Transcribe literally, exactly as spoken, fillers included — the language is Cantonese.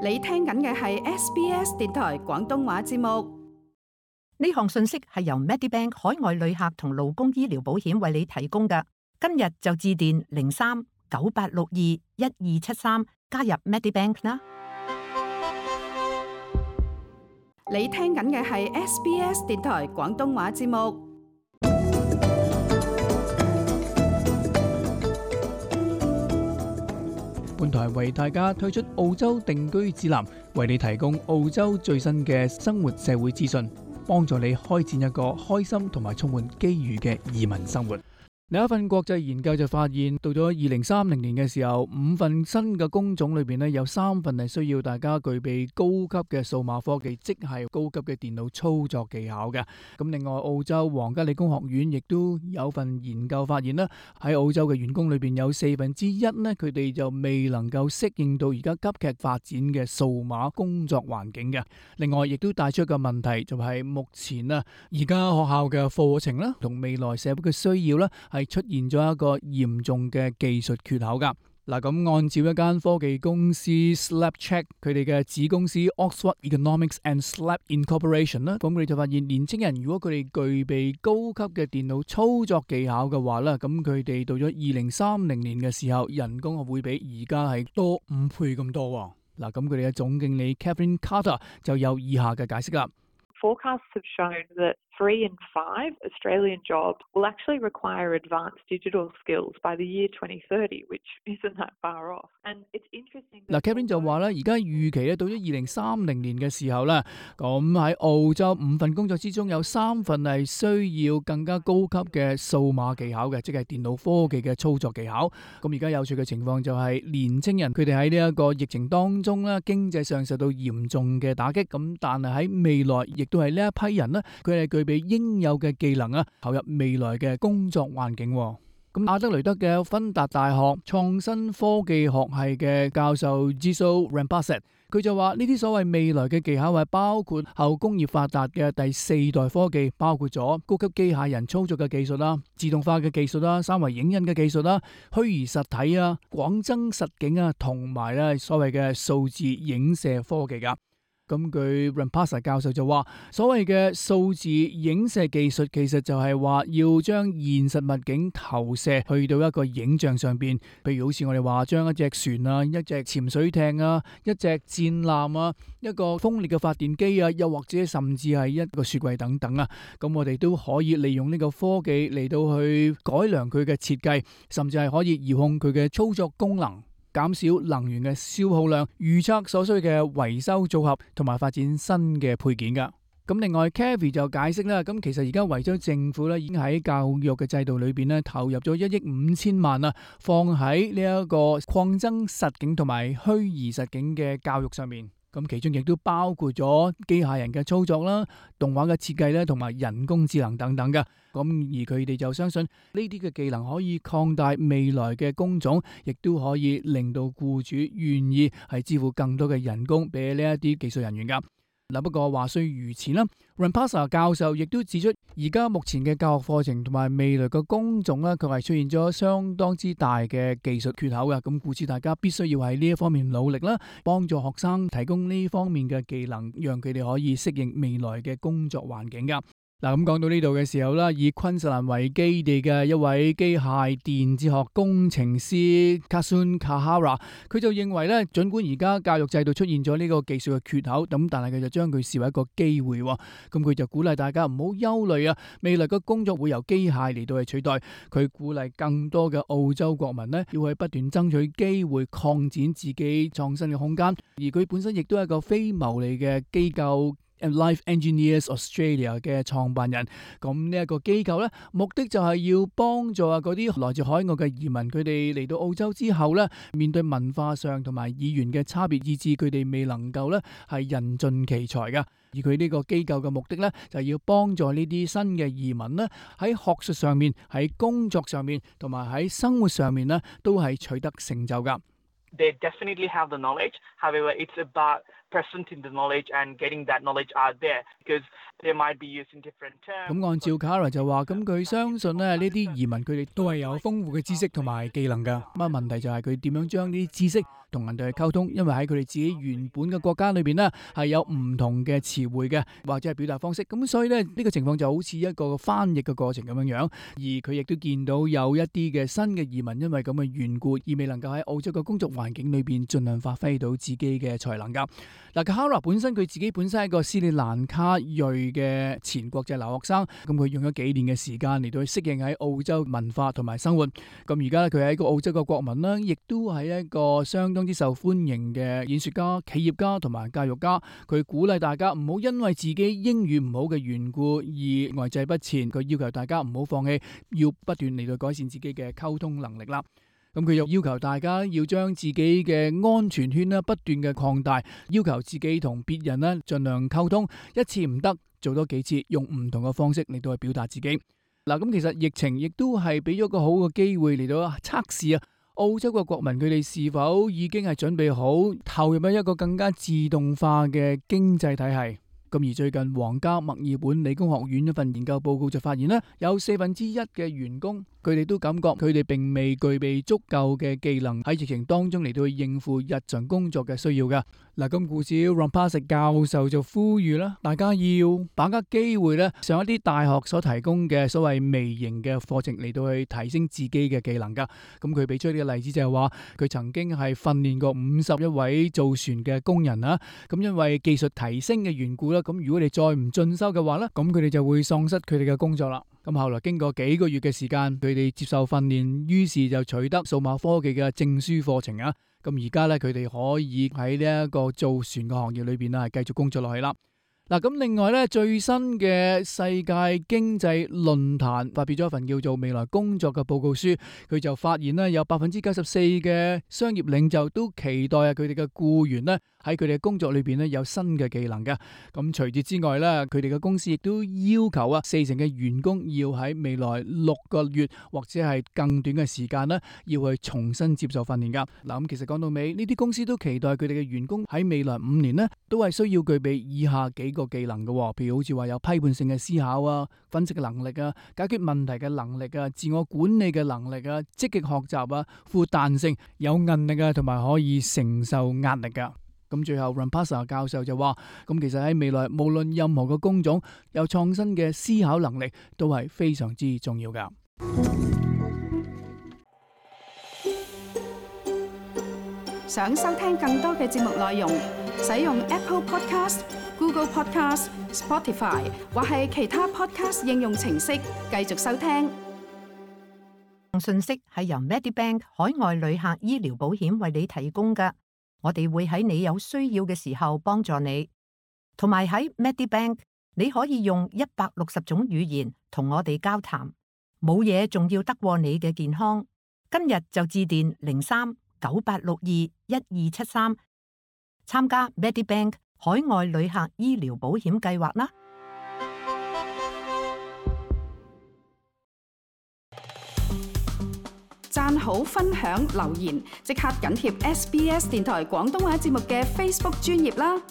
你聽緊嘅係 S B S 電台廣東話節目。呢項信息係由 Medibank 海外旅客同勞工醫療保險為你提供嘅。今日就致電零三九八六二一二七三加入 Medibank 啦。你聽緊嘅係 S B S 電台廣東話節目。本台為大家推出澳洲定居指南，為你提供澳洲最新嘅生活社會資訊，幫助你開展一個開心同埋充滿機遇嘅移民生活。另一份國際研究就發現，到咗二零三零年嘅時候，五份新嘅工種裏邊呢，有三份係需要大家具備高級嘅數碼科技，即係高級嘅電腦操作技巧嘅。咁另外，澳洲皇家理工學院亦都有份研究發現啦，喺澳洲嘅員工裏邊有四分之一呢，佢哋就未能夠適應到而家急劇發展嘅數碼工作環境嘅。另外，亦都帶出一個問題，就係目前啊，而家學校嘅課程啦，同未來社會嘅需要啦，係出現咗一個嚴重嘅技術缺口噶。嗱，咁按照一間科技公司 Slapcheck 佢哋嘅子公司 Oxford Economics and Slap Incorporation 啦，咁佢哋就發現年青人如果佢哋具備高級嘅電腦操作技巧嘅話咧，咁佢哋到咗二零三零年嘅時候，人工係會比而家係多五倍咁多。嗱，咁佢哋嘅總經理 Catherine Carter 就有以下嘅解釋啦。Forecasts have shown that three in five Australian jobs will actually require advanced digital skills by the year twenty thirty, which isn't that far off. And it's interesting. 嗱 Kevin 就話咧，而家預期咧到咗二零三零年嘅時候咧，咁喺澳洲五份工作之中有三份係需要更加高級嘅數碼技巧嘅，即係電腦科技嘅操作技巧。咁而家有趣嘅情況就係年青人佢哋喺呢一個疫情當中咧，經濟上受到嚴重嘅打擊，咁但係喺未來亦都係呢一批人咧，佢哋具備應有嘅技能啊，投入未來嘅工作環境。咁阿德雷德嘅芬達大學創新科技學系嘅教授 Jiso Rampasset， 佢就話呢啲所謂未來嘅技巧係包括後工業發達嘅第四代科技，包括咗高級機械人操作嘅技術啦、自動化嘅技術啦、三維影印嘅技術啦、虛擬實體啊、廣增實境啊，同埋咧所謂嘅數字影射科技噶。咁據 Rampasset 教授就話，所謂嘅數字影射技術其實就係話要將現實物景投射去到一個影像上邊，譬如好似我哋話將一隻船啊、一隻潛水艇啊、一隻戰艦啊、一個風力嘅發電機啊，又或者甚至係一個雪櫃等等啊，咁我哋都可以利用呢個科技嚟到去改良佢嘅設計，甚至係可以遙控佢嘅操作功能，減少能源嘅消耗量，預測所需嘅維修組合，同埋發展新嘅配件噶。咁另外 Kathy 就解釋啦，咁其實而家維州政府咧已經喺教育嘅制度裏邊咧投入咗一億五千萬啊，放喺呢一個擴增實境同埋虛擬實境嘅教育上面。咁其中亦都包括咗機械人嘅操作啦、動畫嘅設計咧，同埋人工智能等等嘅。咁而佢哋就相信呢啲嘅技能可以擴大未來嘅工種，亦都可以令到僱主願意係支付更多嘅人工俾呢一啲技術人員噶。嗱，不過話雖如此啦 Rampasset 教授亦都指出，而家目前嘅教學課程同埋未來嘅工種咧，佢係出現咗相當之大嘅技術缺口嘅。咁故此大家必須要喺呢一方面努力啦，幫助學生提供呢方面嘅技能，讓佢哋可以適應未來嘅工作環境噶。嗱，咁講到呢度嘅時候啦，以昆士蘭為基地嘅一位機械電子學工程師 Kasun Kahara， 佢就認為咧，儘管而家教育制度出現咗呢個技術嘅缺口，咁但係佢就將佢視為一個機會。咁佢就鼓勵大家唔好憂慮啊，未來嘅工作會由機械嚟到去取代。佢鼓勵更多嘅澳洲國民呢，要去不斷爭取機會，擴展自己創新嘅空間。而佢本身亦都係一個非牟利嘅機構Life Engineers Australia 嘅創辦人，咁呢一個機構咧，目的就係要幫助啊嗰啲來自海外嘅移民，佢哋嚟到澳洲之後咧，面對文化上同埋語言嘅差別，以致佢哋未能夠咧係人盡其才噶。而佢呢個機構嘅目的咧，就係要幫助呢啲新嘅移民咧，喺學術上面、喺工作上面同埋喺生活上面咧，都係取得成就噶。They definitely have the knowledge. However, it's about presenting the knowledge and getting that knowledge out there because they might be using different terms. 咁按照 Cara 就話，咁佢相信咧呢啲移民佢哋都係有豐富嘅知識同埋技能㗎。咁啊問題就係佢點樣將呢啲知識同人哋去溝通，因為喺佢哋自己原本嘅國家裏邊呢，係有唔同嘅詞彙嘅，或者係表達方式，咁所以呢，呢個情況就好似一個翻譯嘅過程咁樣樣。而佢亦都見到有一啲嘅新嘅移民因為咁嘅緣故而未能夠喺澳洲嘅工作環境裏邊盡量發揮到自己嘅才能噶。嗱，Kara本身佢自己本身係一個斯里蘭卡裔嘅前國際留學生，咁佢用咗幾年嘅時間嚟到去適應喺澳洲文化同埋生活。咁而家佢係一個澳洲嘅國民啦，亦都係一個相當之受歡迎嘅演說家、企業家同埋教育家。佢鼓勵大家唔好因為自己英語唔好嘅緣故而呆滯不前，佢要求大家唔好放棄，要不斷嚟到改善自己嘅溝通能力啦。咁佢又要求大家要將自己嘅安全圈咧不斷嘅擴大，要求自己同別人咧盡量溝通，一次唔得做多幾次，用唔同嘅方式嚟到去表達自己。嗱，咁其實疫情亦都係俾咗個好嘅機會嚟到測試啊，澳洲嘅國民佢哋是否已經係準備好投入喺一個更加自動化嘅經濟體系。咁而最近皇家墨爾本理工學院一份研究報告就發現咧，有四分之一嘅員工佢哋都感覺佢哋並未具備足夠嘅技能喺疫情當中嚟到去應付日常工作嘅需要嘅。嗱，咁故此 Rampasa 教授就呼籲啦，大家要把握機會咧，上一啲大學所提供嘅所謂微型嘅課程嚟到去提升自己嘅技能噶。咁佢俾出呢個例子就係話，佢曾經係訓練過五十一位造船嘅工人啦。咁因為技術提升嘅緣故啦，咁如果你再唔進修嘅話咧，咁佢哋就會喪失佢哋嘅工作啦。咁後來經過幾個月嘅時間，佢哋接受訓練，於是就取得數碼科技嘅證書課程啊。咁而家咧，佢哋可以喺呢一個造船嘅行業裏邊啊，係繼續工作落去啦。嗱，咁另外咧，最新嘅世界經濟論壇發表咗一份叫做《未來工作》嘅報告書，佢就發現咧，有百分之九十四嘅商業領袖都期待啊，佢哋嘅僱員咧喺佢哋嘅工作裏邊咧有新嘅技能嘅。咁除此之外咧，佢哋嘅公司亦都要求啊，四成嘅員工要喺未來六個月或者係更短嘅時間咧，要去重新接受訓練噶。嗱，咁其實講到尾，呢啲公司都期待佢哋嘅員工喺未來五年咧，都係需要具備以下幾個技能嘅，譬如好似話有批判性嘅思考啊、分析嘅能力啊、解決問題嘅能力啊、自我管理嘅能力啊、積極學習啊、富彈性、有韌力啊，同埋可以承受壓力噶。咁最後 Rampasa 教授就話，咁其實喺未來無論任何嘅工種，有創新嘅思考能力都係非常之重要噶。想收聽更多嘅節目內容，使用 Apple Podcast、Google Podcast、Spotify 或係其他 Podcast 應用程式繼續收聽。信息係由 Medibank 海外旅客醫療保險為你提供嘅，我哋會喺你有需要嘅時候幫助你。同埋喺 Medibank，你可以用一百六十種語言同我哋交談，冇嘢仲要得過你嘅健康。今日就致電零三九八六二一二七三，參加 Medibank 海外旅客醫療保險計劃啦！讚好、分享、留言，即刻緊貼 S B S 電台廣東話節目嘅 Facebook 專頁啦！